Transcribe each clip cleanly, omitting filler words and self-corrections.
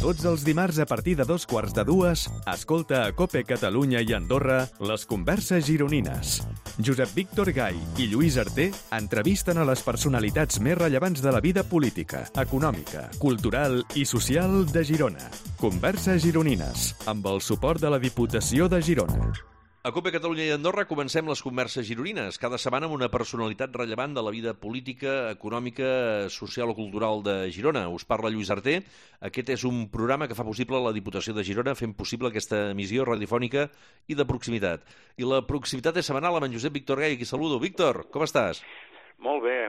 Tots els dimarts a partir de 2:15, escolta a COPE Catalunya i Andorra les converses gironines. Josep Víctor Gai i Lluís Arter entrevisten a les personalitats més rellevants de la vida política, econòmica, cultural i social de Girona. Converses gironines, amb el suport de la Diputació de Girona. A COPE Catalunya i Andorra comencem les converses gironines, cada setmana amb una personalitat rellevant de la vida política, econòmica, social o cultural de Girona. Us parla Lluís Arter. Aquest és un programa que fa possible la Diputació de Girona, fent possible aquesta emissió radiofònica i de proximitat. I la proximitat és setmanal amb en Josep Víctor Gai, aquí saludo. Víctor, com estàs? Molt bé,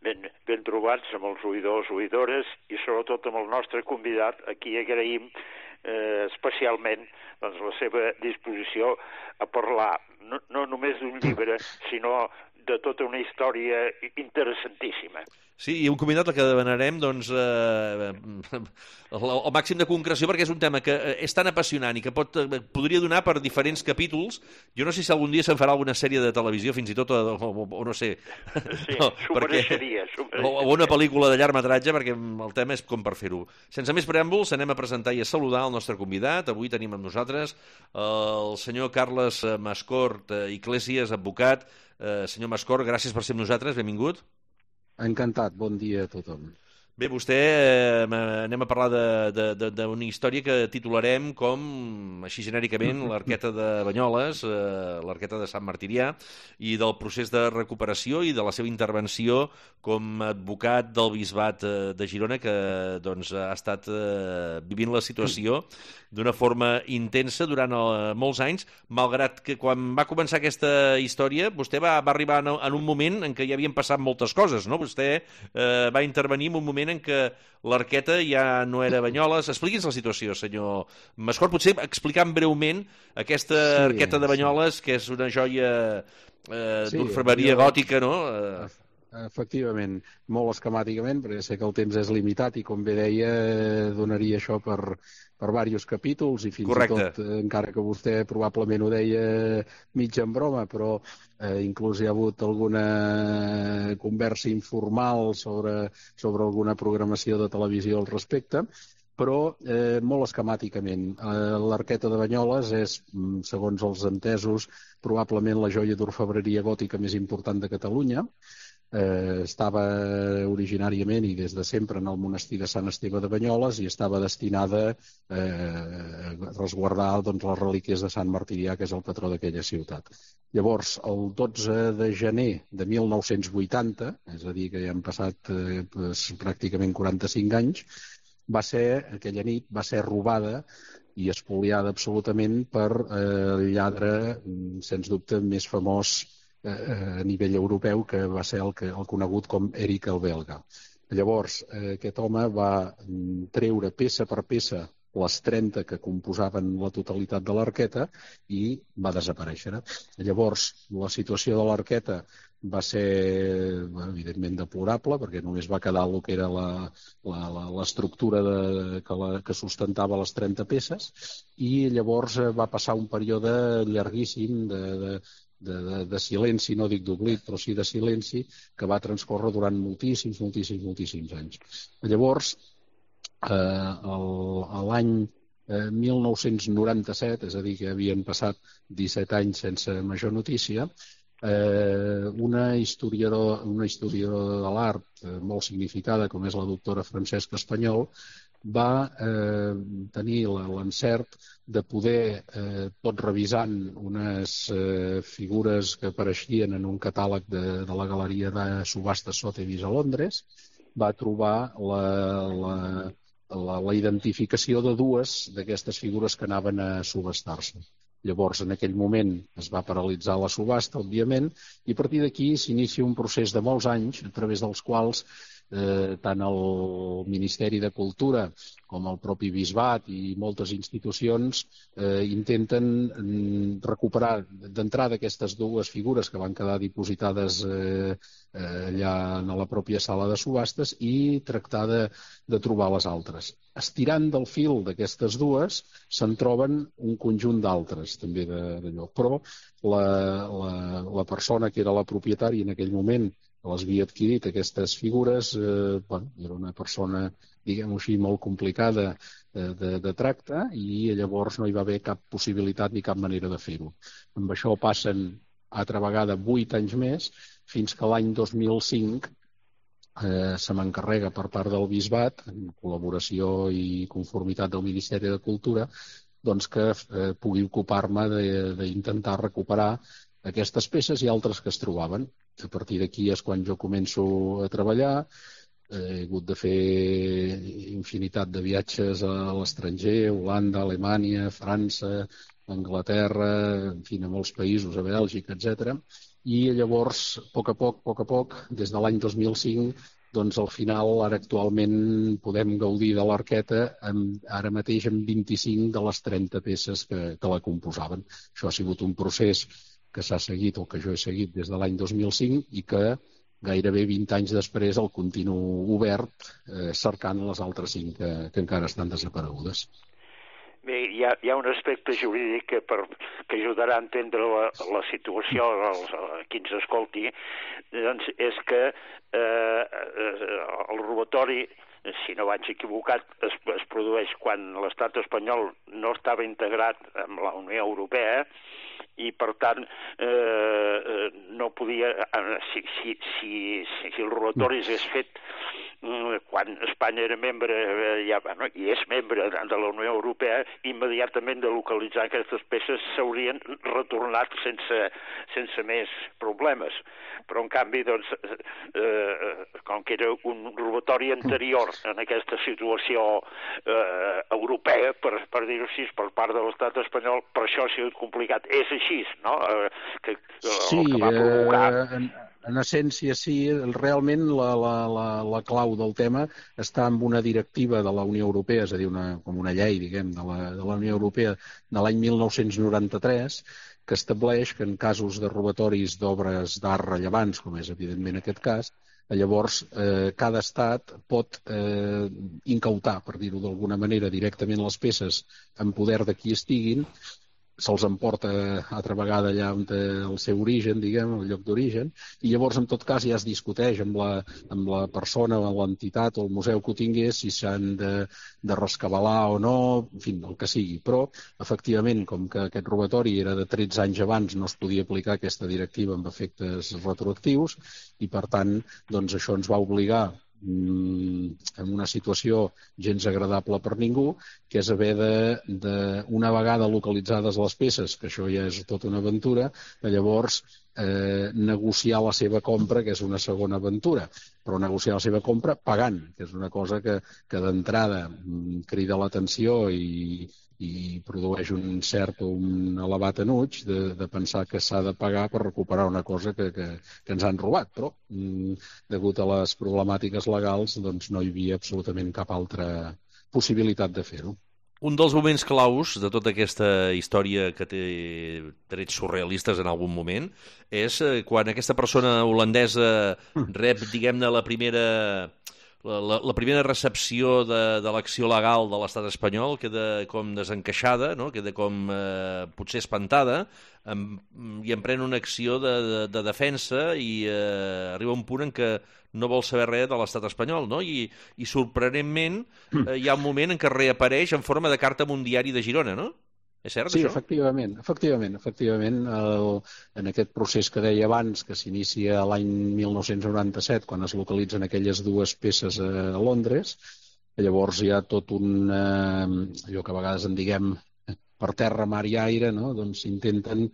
ben trobats amb els oïdors, oïdores i sobretot amb el nostre convidat. Aquí agraïm especialment doncs, la seva disposició a parlar no només d'un llibre, sinó de tota una història interessantíssima. Sí, i un convidat al que demanarem doncs, el màxim de concreció, perquè és un tema que és tan apassionant i que podria donar per diferents capítols. Jo no sé si algun dia se'n farà alguna sèrie de televisió, fins i tot, o no sé. Sí, no, s'ho mereixeria. O una pel·lícula de llargmetratge, perquè el tema és com per fer-ho. Sense més preàmbuls, anem a presentar i a saludar el nostre convidat. Avui tenim amb nosaltres el senyor Carles Mascort Iglesias, advocat. Senyor Mascort, gràcies per ser amb nosaltres, benvingut. Encantat, bon dia a tothom. Bé, vostè, anem a parlar d'una història que titularem com, així genèricament, l'Arqueta de Banyoles, l'Arqueta de Sant Martirià, i del procés de recuperació i de la seva intervenció com a advocat del Bisbat de Girona, que doncs, ha estat vivint la situació d'una forma intensa durant molts anys, malgrat que quan va començar aquesta història, vostè va arribar en un moment en què ja havien passat moltes coses, no? Vostè va intervenir en un moment en què l'Arqueta ja no era Banyoles. Expliqui'ns la situació, senyor Mascort. Potser explicant breument aquesta Arqueta de Banyoles, que és una joia d'orfebreria gòtica, no? Efectivament, molt esquemàticament, perquè sé que el temps és limitat i, com bé deia, donaria això per diversos capítols i fins Correcte. I tot, encara que vostè probablement ho deia mig en broma, però inclús hi ha hagut alguna conversa informal sobre alguna programació de televisió al respecte, però molt esquemàticament. L'Arqueta de Banyoles és, segons els entesos, probablement la joia d'orfebreria gòtica més important de Catalunya. Estava originàriament i des de sempre en el monestir de Sant Esteve de Banyoles i estava destinada a resguardar doncs, les relíquies de Sant Martirià, que és el patró d'aquella ciutat. Llavors, el 12 de gener de 1980, és a dir, que ja han passat pràcticament 45 anys, aquella nit va ser robada i espoliada absolutament per el lladre, sens dubte, més famós a nivell europeu, que va ser el conegut com Eric el Belga. Llavors, aquest home va treure peça per peça les 30 que composaven la totalitat de l'Arqueta i va desaparèixer. Llavors, la situació de l'Arqueta va ser, evidentment, deplorable, perquè només va quedar el que era l'estructura que sustentava les 30 peces, i llavors va passar un període llarguíssim de silenci, no dic d'oblit, però sí de silenci, que va transcórrer durant moltíssims anys. Llavors, l'any 1997, és a dir, que havien passat 17 anys sense major notícia, una historiadora de l'art molt significada, com és la doctora Francesca Espanyol, va tenir l'encert de poder, tot revisant unes figures que apareixien en un catàleg de la Galeria de Subhastes Sotheby's a Londres, va trobar la identificació de dues d'aquestes figures que anaven a subhastar-se. Llavors, en aquell moment es va paralitzar la subhasta, òbviament, i a partir d'aquí s'inicia un procés de molts anys, a través dels quals tant el Ministeri de Cultura com el propi Bisbat i moltes institucions intenten recuperar d'entrada aquestes dues figures que van quedar dipositades allà en la pròpia sala de subhastes i tractar de trobar les altres. Estirant del fil d'aquestes dues se'n troben un conjunt d'altres també d'allò, però la persona que era la propietària en aquell moment les havia adquirit aquestes figures, era una persona, diguem-ho així, molt complicada de tracte, i llavors no hi va haver cap possibilitat ni cap manera de fer-ho. Amb això passen altra vegada 8 anys més, fins que l'any 2005 se m'encarrega per part del Bisbat, en col·laboració i conformitat del Ministeri de Cultura, doncs que pugui ocupar-me d'intentar recuperar aquestes peces i altres que es trobaven. A partir d'aquí és quan jo començo a treballar. He hagut de fer infinitat de viatges a l'estranger, Holanda, Alemanya, França, Anglaterra, en fi, a molts països, a Bèlgica, etc. I llavors, a poc a poc, des de l'any 2005, doncs al final, ara actualment, podem gaudir de l'Arqueta ara mateix amb 25 de les 30 peces que la composaven. Això ha sigut un procés que s'ha seguit, o que jo he seguit des de l'any 2005, i que gairebé 20 anys després el continuo obert, cercant les altres 5 que encara estan desaparegudes. Bé, hi ha un aspecte jurídic que ajudarà a entendre la situació a qui ens escolti, doncs és que el robatori, si no vaig equivocat, es produeix quan l'estat espanyol no estava integrat amb la Unió Europea, i per tant no podia, si el robatori s'hagués fet quan Espanya era membre, i és membre de la Unió Europea, immediatament de localitzar aquestes peces s'haurien retornat sense més problemes. Però en canvi, doncs, com que era un robatori anterior en aquesta situació europea, per dir-ho així, per part de l'estat espanyol, per això ha sigut complicat. És així, no? Sí, el que va provocar... En essència, sí. Realment la clau del tema està en una directiva de la Unió Europea, és a dir, com una llei, diguem, de la Unió Europea de l'any 1993, que estableix que en casos de robatoris d'obres d'art rellevants, com és evidentment aquest cas, llavors cada estat pot incautar, per dir-ho d'alguna manera, directament les peces en poder de qui estiguin, se'ls emporta altra vegada allà on té el seu origen, diguem, el lloc d'origen, i llavors en tot cas ja es discuteix amb la persona o l'entitat o el museu que ho tingués si s'han de rescabalar o no, en fi, el que sigui. Però, efectivament, com que aquest robatori era de 13 anys abans, no es podia aplicar aquesta directiva amb efectes retroactius, i per tant, doncs això ens va obligar en una situació gens agradable per ningú, que és haver una vegada localitzades les peces, que això ja és tota una aventura, llavors negociar la seva compra, que és una segona aventura, però negociar la seva compra pagant, que és una cosa que d'entrada crida l'atenció i produeix un cert o un elevat enuig de pensar que s'ha de pagar per recuperar una cosa que ens han robat, però degut a les problemàtiques legals doncs no hi havia absolutament cap altra possibilitat de fer-ho. Un dels moments claus de tota aquesta història que té trets surrealistes en algun moment és quan aquesta persona holandesa rep, diguem-ne, la primera recepció de l'acció legal de l'estat espanyol, queda com desencaixada, no? Queda com potser espantada, i emprèn una acció de defensa i arriba un punt en què no vol saber res de l'estat espanyol, no? I sorprenentment hi ha un moment en què reapareix en forma de carta amb un diari de Girona, no? És cert, sí, això? Efectivament. En aquest procés que deia abans, que s'inicia l'any 1997, quan es localitzen aquelles dues peces a Londres, llavors hi ha tot allò que a vegades en diguem per terra, mar i aire, no? Doncs intenten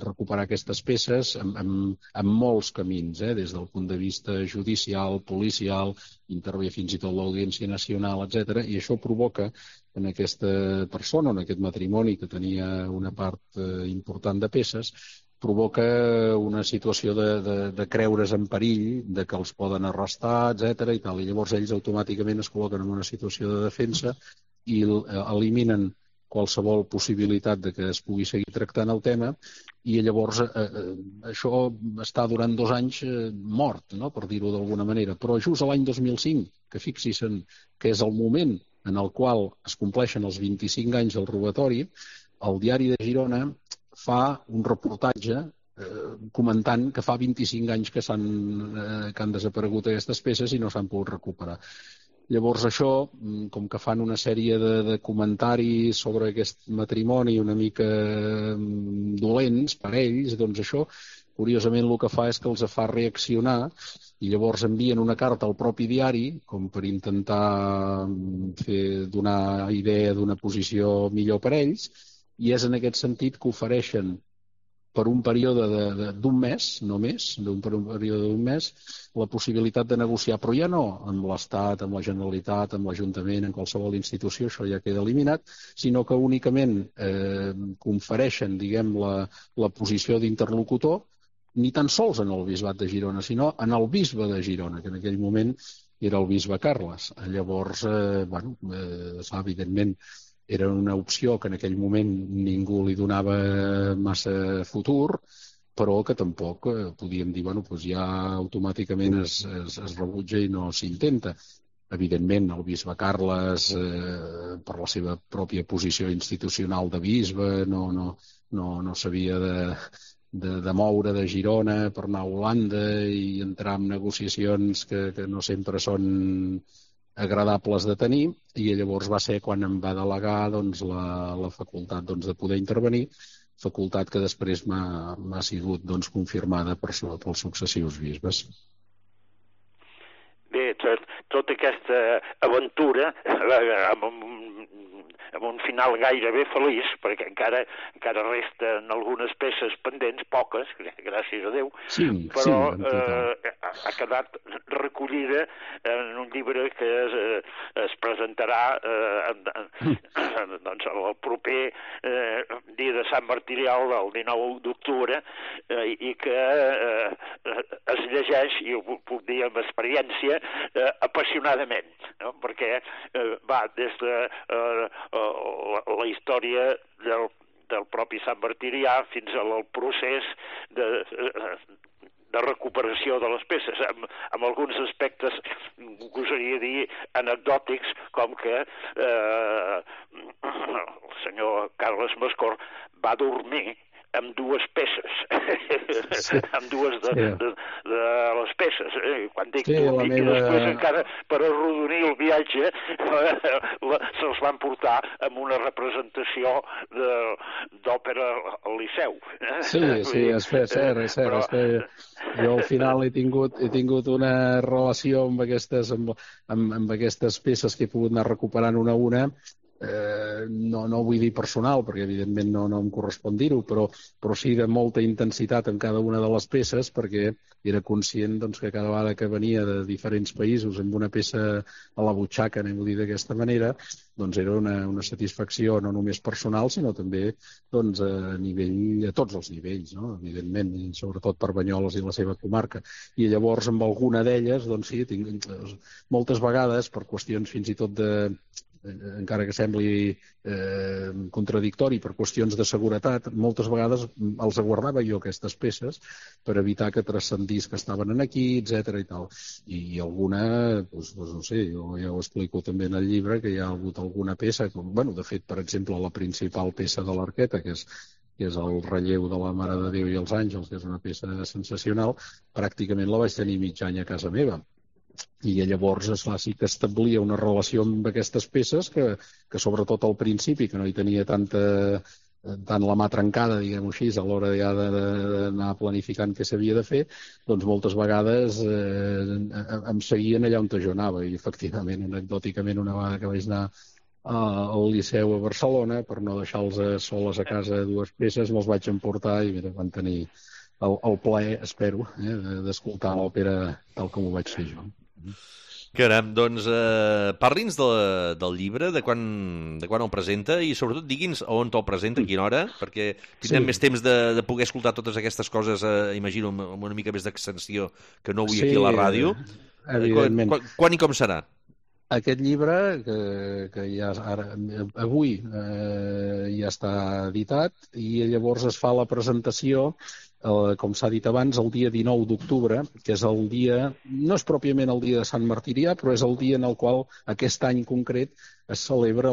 recuperar aquestes peces amb molts camins, des del punt de vista judicial, policial, intervé fins i tot l'Audiència Nacional, etc. I això provoca en aquesta persona, en aquest matrimoni que tenia una part important de peces, provoca una situació de creure's en perill, de que els poden arrestar, etc. I tal. I llavors ells automàticament es col·loquen en una situació de defensa i eliminen qualsevol possibilitat de que es pugui seguir tractant el tema, i llavors això està durant 2 anys mort, no? Per dir-ho d'alguna manera. Però just l'any 2005, que fixis que és el moment en el qual es compleixen els 25 anys del robatori, el diari de Girona fa un reportatge comentant que fa 25 anys que han desaparegut aquestes peces i no s'han pogut recuperar. Llavors això, com que fan una sèrie de comentaris sobre aquest matrimoni una mica dolents per ells, doncs això, curiosament, el que fa és que els fa reaccionar i llavors envien una carta al propi diari com per intentar donar idea d'una posició millor per ells, i és en aquest sentit que ofereixen per un període d'un mes, només, per un període d'un mes, la possibilitat de negociar, però ja no amb l'Estat, amb la Generalitat, amb l'Ajuntament, en qualsevol institució, això ja queda eliminat, sinó que únicament confereixen, diguem, la posició d'interlocutor, ni tan sols en el bisbat de Girona, sinó en el bisbe de Girona, que en aquell moment era el bisbe Carles. Llavors, evidentment, era una opció que en aquell moment ningú li donava massa futur, però que tampoc podíem dir, ja automàticament es rebutja i no s'intenta. Evidentment, el bisbe Carles, per la seva pròpia posició institucional de bisbe, no s'havia de moure de Girona per anar a Holanda i entrar en negociacions que no sempre són agradables de tenir, i llavors va ser quan em va delegar la facultat de poder intervenir, facultat que després m'ha sigut confirmada pels successius bisbes. Bé, tota aquesta aventura amb un final gairebé feliç, perquè encara resten algunes peces pendents, poques, gràcies a Déu, però ha quedat recollida en un llibre que es presentarà el proper dia de Sant Martirial, el 19 d'octubre, i que es llegeix, i ho puc dir amb experiència, apassionadament, no? Perquè va des de la història del propi Sant Martirià fins al procés de recuperació de les peces, amb alguns aspectes, gosaria dir, anecdòtics, com que el senyor Carles Mascor va dormir amb dues peces, amb dues de les peces. Quan dic dormir, i després encara per arrodonir el viatge se'ls van portar amb una representació d'òpera al Liceu. Sí, és cert. Jo al final he tingut una relació amb aquestes peces que he pogut anar recuperant una a una. No vull dir personal, perquè evidentment no em correspon dir-ho, però sí de molta intensitat en cada una de les peces, perquè era conscient que cada vegada que venia de diferents països amb una peça a la butxaca, anem-ho dir d'aquesta manera, era una satisfacció no només personal, sinó també a tots els nivells, no? Evidentment, i sobretot per Banyoles i la seva comarca. I llavors amb alguna d'elles, sí, moltes vegades, per qüestions fins i tot encara que sembli contradictori per qüestions de seguretat, moltes vegades els guardava jo aquestes peces per evitar que transcendís que estaven aquí, etc. i tal. I alguna, no sé, jo ja ho explico també en el llibre, que hi ha hagut alguna peça, de fet, per exemple, la principal peça de l'Arqueta, que és el relleu de la Mare de Déu i els Àngels, que és una peça sensacional, pràcticament la vaig tenir mig any a casa meva. I llavors, esclar, sí que establia una relació amb aquestes peces que sobretot al principi, que no hi tenia tant la mà trencada, diguem-ho així, a l'hora ja d'anar planificant què s'havia de fer, moltes vegades em seguien allà on jo anava. I efectivament, anecdòticament, una vegada que vaig anar al Liceu a Barcelona, per no deixar-los soles a casa dues peces, me'ls vaig emportar i van tenir el plaer, espero, d'escoltar l'òpera tal com ho vaig fer jo. Caram, doncs parli'ns del llibre, de quan el presenta, i sobretot digui'ns on el presenta, a quina hora, perquè tindrem més temps de poder escoltar totes aquestes coses, imagino, amb una mica més d'extensió que no avui aquí a la ràdio. Evidentment. Quan i com serà? Aquest llibre, que ja avui ja està editat, i llavors es fa la presentació, com s'ha dit abans, el dia 19 d'octubre, que és el dia, no és pròpiament el dia de Sant Martirià, però és el dia en el qual aquest any concret es celebra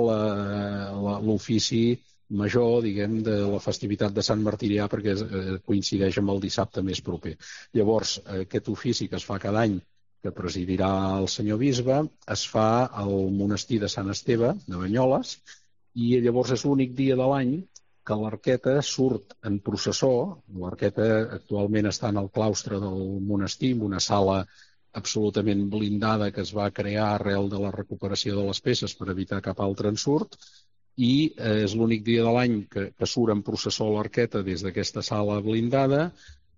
l'ofici major, diguem, de la festivitat de Sant Martirià, perquè coincideix amb el dissabte més proper. Llavors, aquest ofici que es fa cada any, que presidirà el senyor bisbe, es fa al monestir de Sant Esteve, de Banyoles, i llavors és l'únic dia de l'any que l'arqueta surt en processó. L'arqueta actualment està en el claustre del monestir, en una sala absolutament blindada que es va crear arrel de la recuperació de les peces per evitar cap altre ensurt, i és l'únic dia de l'any que surt en processó l'arqueta des d'aquesta sala blindada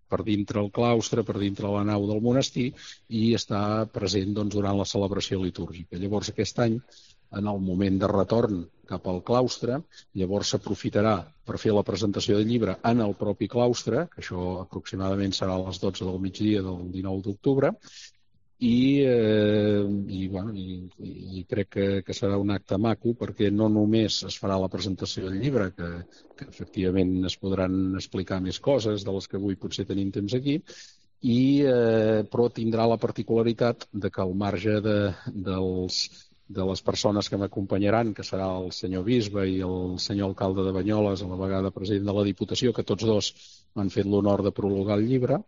per dintre el claustre, per dintre la nau del monestir, i està present doncs, durant la celebració litúrgica. Llavors aquest any, en el moment de retorn cap al claustre, llavors s'aprofitarà per fer la presentació del llibre en el propi claustre, que això aproximadament serà a les 12 del migdia del 19 d'octubre, i crec que serà un acte maco, perquè no només es farà la presentació del llibre, que efectivament es podran explicar més coses de les que avui potser tenim temps aquí, però tindrà la particularitat de que al marge de les persones que m'acompanyaran, que serà el senyor bisbe i el senyor alcalde de Banyoles, a la vegada president de la Diputació, que tots dos m'han fet l'honor de prologar el llibre,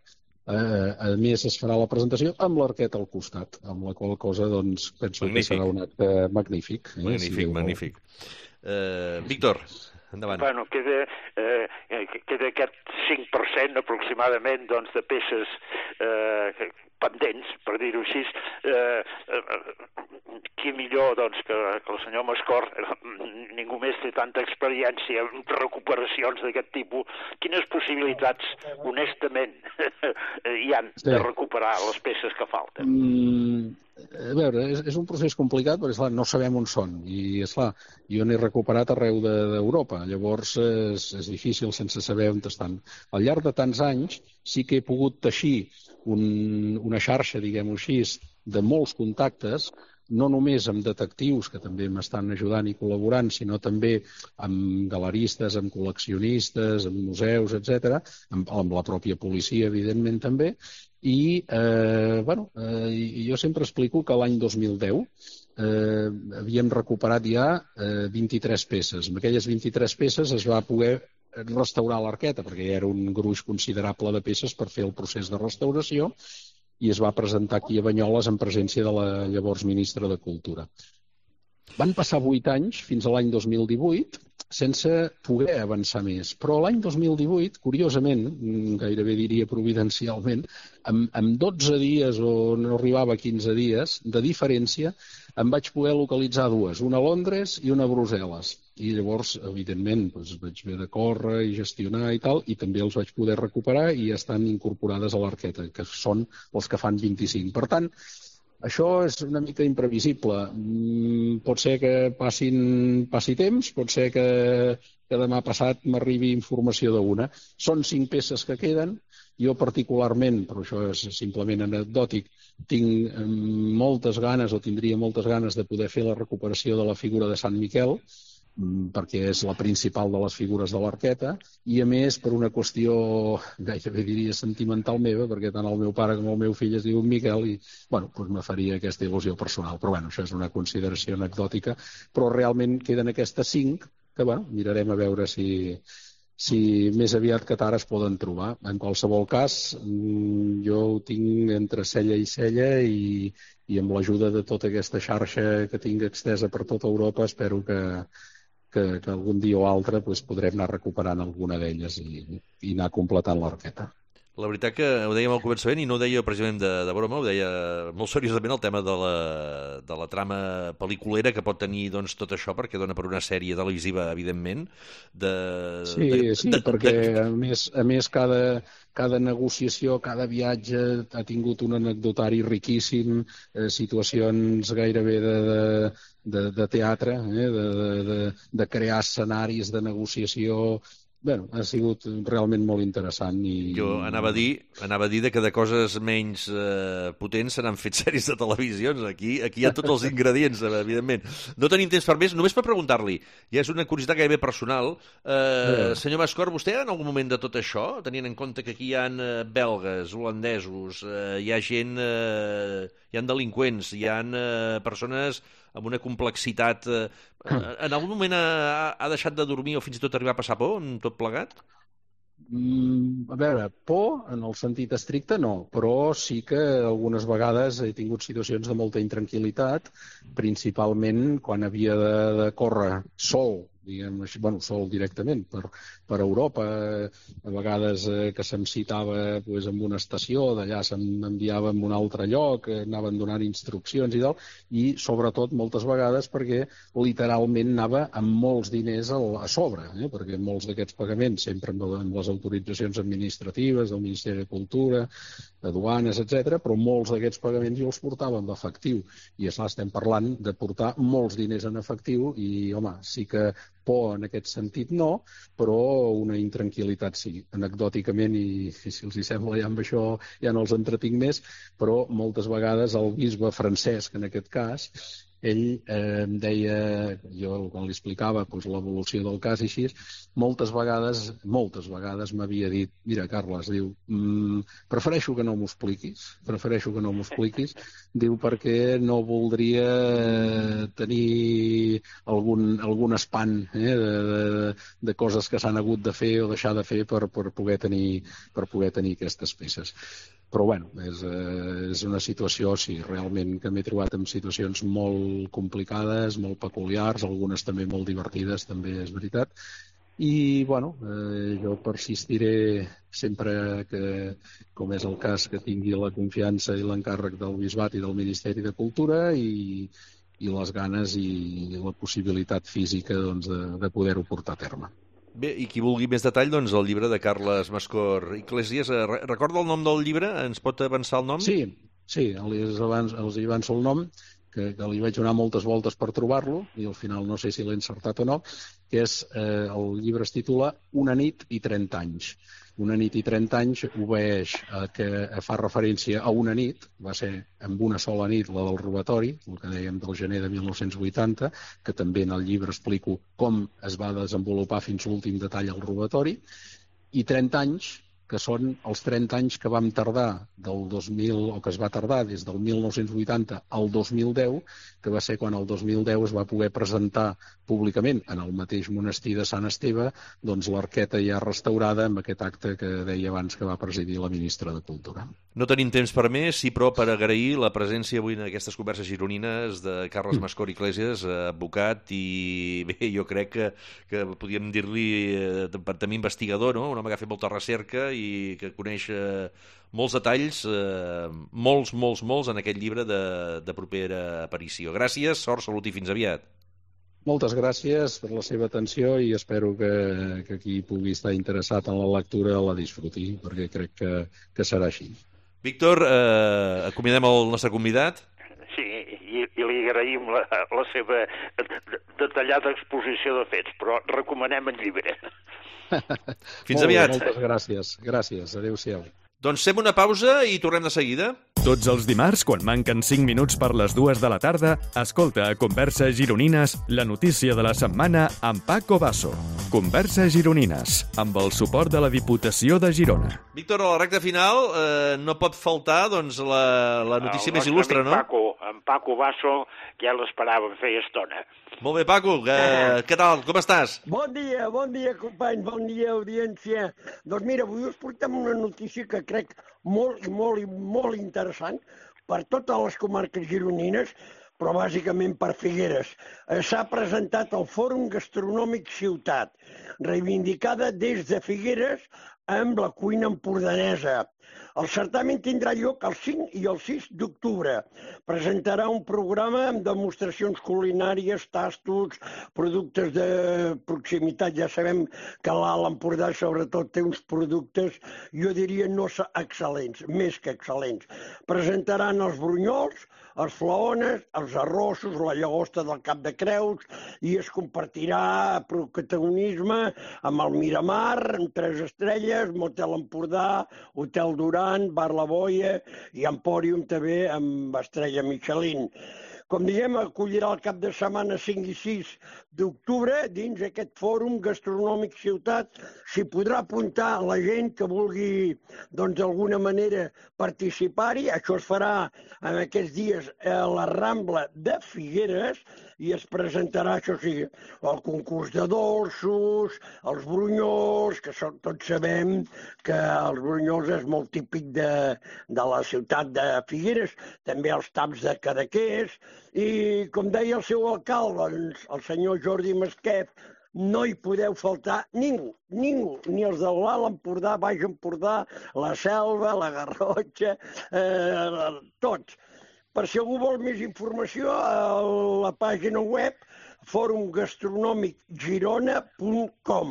a més es farà la presentació amb l'arqueta al costat, amb la qual cosa doncs, penso que serà un acte magnífic. Magnífic. Víctor, endavant. Bueno, queda aquest 5% aproximadament doncs, de peces pendents, per dir-ho així. Qui millor doncs, que el senyor Mascort, ningú més té tanta experiència en recuperacions d'aquest tipus. Quines possibilitats, honestament, hi han de recuperar les peces que falten? A veure, és un procés complicat perquè, esclar, no sabem on són i, esclar, jo n'he recuperat arreu d'Europa, llavors és difícil sense saber on estan. Al llarg de tants anys sí que he pogut teixir una xarxa, diguem-ho així, de molts contactes, no només amb detectius, que també m'estan ajudant i col·laborant, sinó també amb galeristes, amb col·leccionistes, amb museus, etc., amb la pròpia policia, evidentment, també. I, jo sempre explico que l'any 2010 havíem recuperat ja 23 peces. Amb aquelles 23 peces es va poder restaurar l'arqueta, perquè ja era un gruix considerable de peces per fer el procés de restauració, i es va presentar aquí a Banyoles en presència de la llavors ministra de Cultura. Van passar 8 anys, fins a l'any 2018, sense poder avançar més. Però l'any 2018, curiosament, gairebé diria providencialment, amb 12 dies o no arribava a 15 dies de diferència, em vaig poder localitzar dues, una a Londres i una a Brussel·les. I llavors, evidentment, vaig haver de córrer i gestionar i tal, i també els vaig poder recuperar i estan incorporades a l'arqueta, que són els que fan 25. Per tant, això és una mica imprevisible. Pot ser que passi temps, pot ser que demà passat m'arribi informació d'una. Són 5 peces que queden. Jo particularment, però això és simplement anecdòtic, tinc moltes ganes o tindria moltes ganes de poder fer la recuperació de la figura de Sant Miquel, perquè és la principal de les figures de l'arqueta, i a més per una qüestió gairebé diria sentimental meva, perquè tant el meu pare com el meu fill es diu Miquel i me faria aquesta il·lusió personal. Però això és una consideració anecdòtica, però realment queden aquestes 5 que mirarem a veure si més aviat que tard es poden trobar. En qualsevol cas, jo ho tinc entre cella i cella i amb l'ajuda de tota aquesta xarxa que tinc extesa per tota Europa espero que algun dia o altre podrem anar recuperant alguna d'elles i anar completant l'arqueta. La veritat que ho dèiem al començament i no ho deia precisament de broma, ho deia molt seriosament el tema de la trama pel·liculera que pot tenir tot això, perquè dona per una sèrie televisiva, evidentment. Sí, perquè a més cada negociació, cada viatge ha tingut un anecdotari riquíssim, situacions gairebé de teatre, de crear escenaris de negociació. Ha sigut realment molt interessant. Jo anava a dir que de coses menys potents se n'han fet sèries de televisions. Aquí hi ha tots els ingredients, evidentment. No tenim temps per més, només per preguntar-li, ja és una curiositat gairebé personal, senyor Mascort, vostè en algun moment de tot això, tenint en compte que aquí hi ha belgues, holandesos, hi ha gent, hi ha delinqüents, hi ha persones amb una complexitat... En algun moment ha deixat de dormir o fins i tot arribar a passar por, en tot plegat? A veure, por, en el sentit estricte, no, però sí que algunes vegades he tingut situacions de molta intranquil·litat, principalment quan havia de córrer sol, diguem així, bueno, sol directament per Europa, a vegades que se'm citava pues, en una estació, d'allà se'm enviava en un altre lloc, anaven donant instruccions i tal, i sobretot moltes vegades perquè literalment anava amb molts diners a sobre, perquè molts d'aquests pagaments, sempre amb les autoritzacions administratives del Ministeri de Cultura, de duanes, etc., però molts d'aquests pagaments jo els portava en efectiu, i esclar, estem parlant de portar molts diners en efectiu i, home, sí que por en aquest sentit no, però una intranquil·litat sí. Anecdòticament, i si els hi sembla ja amb això ja no els entretinc més, però moltes vegades el bisbe Francesc, en aquest cas, ell em deia, jo quan li explicava doncs, l'evolució del cas i així, moltes vegades m'havia dit, mira, Carles, diu, prefereixo que no m'ho expliquis, diu, perquè no voldria tenir algun espant de coses que s'han hagut de fer o deixar de fer per poder tenir aquestes peces. Però, bueno, és una situació, sí, realment que m'he trobat en situacions molt complicades, molt peculiars, algunes també molt divertides, també és veritat. I, bueno, jo persistiré sempre que, com és el cas, que tingui la confiança i l'encàrrec del Bisbat i del Ministeri de Cultura i les ganes i la possibilitat física doncs, de poder-ho portar a terme. Bé, i qui vulgui més detall, doncs el llibre de Carles Mascor Iglesias. Recorda el nom del llibre? Ens pot avançar el nom? Sí, els avanço el nom, que li vaig donar moltes voltes per trobar-lo, i al final no sé si l'he encertat o no, que és, el llibre es titula Una nit i 30 anys. Una nit i 30 anys obeeix que fa referència a una nit, va ser amb una sola nit, la del robatori, el que dèiem del gener de 1980, que també en el llibre explico com es va desenvolupar fins a l'últim detall el robatori, i 30 anys, que són els 30 anys que vam tardar del 2000, o que es va tardar des del 1980 al 2010, que va ser quan el 2010 es va poder presentar públicament en el mateix monestir de Sant Esteve doncs l'arqueta ja restaurada amb aquest acte que deia abans que va presidir la ministra de Cultura. No tenim temps per més, sí, però per agrair la presència avui en aquestes converses gironines de Carles Mascor Iglesias, advocat, i bé, jo crec que podríem dir-li també investigador, no? Un home que ha fet molta recerca i que coneix molts detalls, molts en aquest llibre de propera aparició. Gràcies, sort, salut i fins aviat. Moltes gràcies per la seva atenció i espero que qui pugui estar interessat en la lectura la disfruti, perquè crec que serà així. Víctor, acomiadem el nostre convidat. Sí, i li agraïm la seva detallada exposició de fets, però recomanem el llibre. Fins aviat. Moltes gràcies. Gràcies. Adéu-siau. Doncs fem una pausa i tornem de seguida. Tots els dimarts, quan manquen 5 minuts per les 2 de la tarda, escolta a Converses Gironines la notícia de la setmana amb Paco Basso. Converses Gironines, amb el suport de la Diputació de Girona. Víctor, a la recta final no pot faltar doncs, la notícia més il·lustre, no? En Paco Basso, que ja l'esperàvem feia estona. Molt bé, Paco, què tal? Com estàs? Bon dia, companys, bon dia, audiència. Doncs mira, avui us portem una notícia que crec molt interessant per totes les comarques gironines, però bàsicament per Figueres. S'ha presentat el Fòrum Gastronòmic Ciutat, reivindicada des de Figueres amb la cuina empordanesa. El certamen tindrà lloc el 5 i el 6 d'octubre. Presentarà un programa amb demostracions culinàries, tastos, productes de proximitat. Ja sabem que l'Alt Empordà sobretot té uns productes, jo diria, no excel·lents, més que excel·lents. Presentaran els brunyols, els flaones, els arrossos, la llagosta del Cap de Creus, i es compartirà protagonisme amb el Miramar, amb 3 estrelles, Motel Empordà, Hotel Duran, Bar La Boia i Empòrium també amb estrella Michelin. com diem, acollirà el cap de setmana 5 i 6 d'octubre dins aquest fòrum gastronòmic ciutat. S'hi podrà apuntar la gent que vulgui, doncs, d'alguna manera participar-hi. Això es farà en aquests dies a la Rambla de Figueres i es presentarà, això sí, el concurs de dolços, els brunyols, que tots sabem que els brunyols és molt típic de la ciutat de Figueres, també els taps de Cadaqués, i com deia el seu alcalde, el senyor Jordi Masquef, no hi podeu faltar ningú, ni els de l'Alt Empordà, Baix Empordà, la Selva, la Garrotxa, tots. Per si algú vol més informació, a la pàgina web forumgastronòmicgirona.com.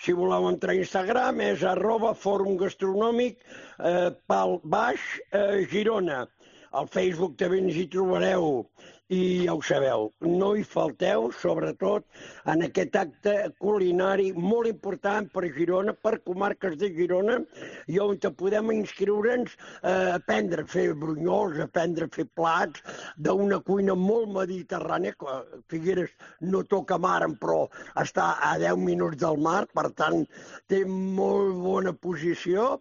Si voleu entrar a Instagram és @forumgastronòmic_Girona. Al Facebook també ens hi trobareu. I ja ho sabeu, no hi falteu, sobretot en aquest acte culinari molt important per Girona, per comarques de Girona, i on podem inscriure'ns a aprendre a fer brunyols, a aprendre a fer plats d'una cuina molt mediterrània. Figueres no toca mar, però està a 10 minuts del mar, per tant, té molt bona posició.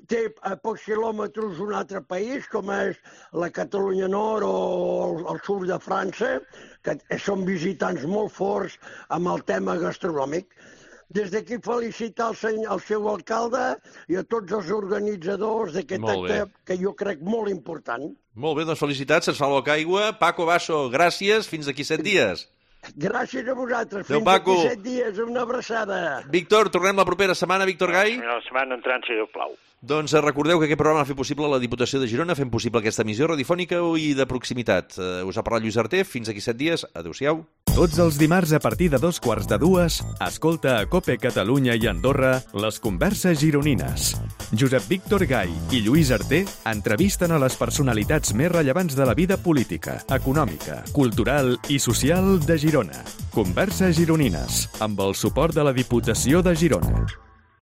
Té a pocs quilòmetres un altre país, com és la Catalunya Nord o el sud de França, que són visitants molt forts amb el tema gastronòmic. Des d'aquí felicitar el seu alcalde i a tots els organitzadors d'aquest acte, que jo crec molt important. Molt bé, doncs felicitats, ens fa l'oca aigua. Paco Basso, gràcies, fins d'aquí 7 dies. Gràcies a vosaltres, fins d'aquí 7 dies, una abraçada. Víctor, tornem la propera setmana, Víctor Gai. La setmana entrant, si Déu plau. Doncs recordeu que aquest programa l'ha fet possible la Diputació de Girona, fent possible aquesta emissió radiofònica i de proximitat. Us ha parlat Lluís Arté, fins aquí 7 dies, adeu-siau. Tots els dimarts a partir de 2:15, escolta a COPE Catalunya i Andorra les converses gironines. Josep Víctor Gai i Lluís Arté entrevisten a les personalitats més rellevants de la vida política, econòmica, cultural i social de Girona. Converses gironines, amb el suport de la Diputació de Girona.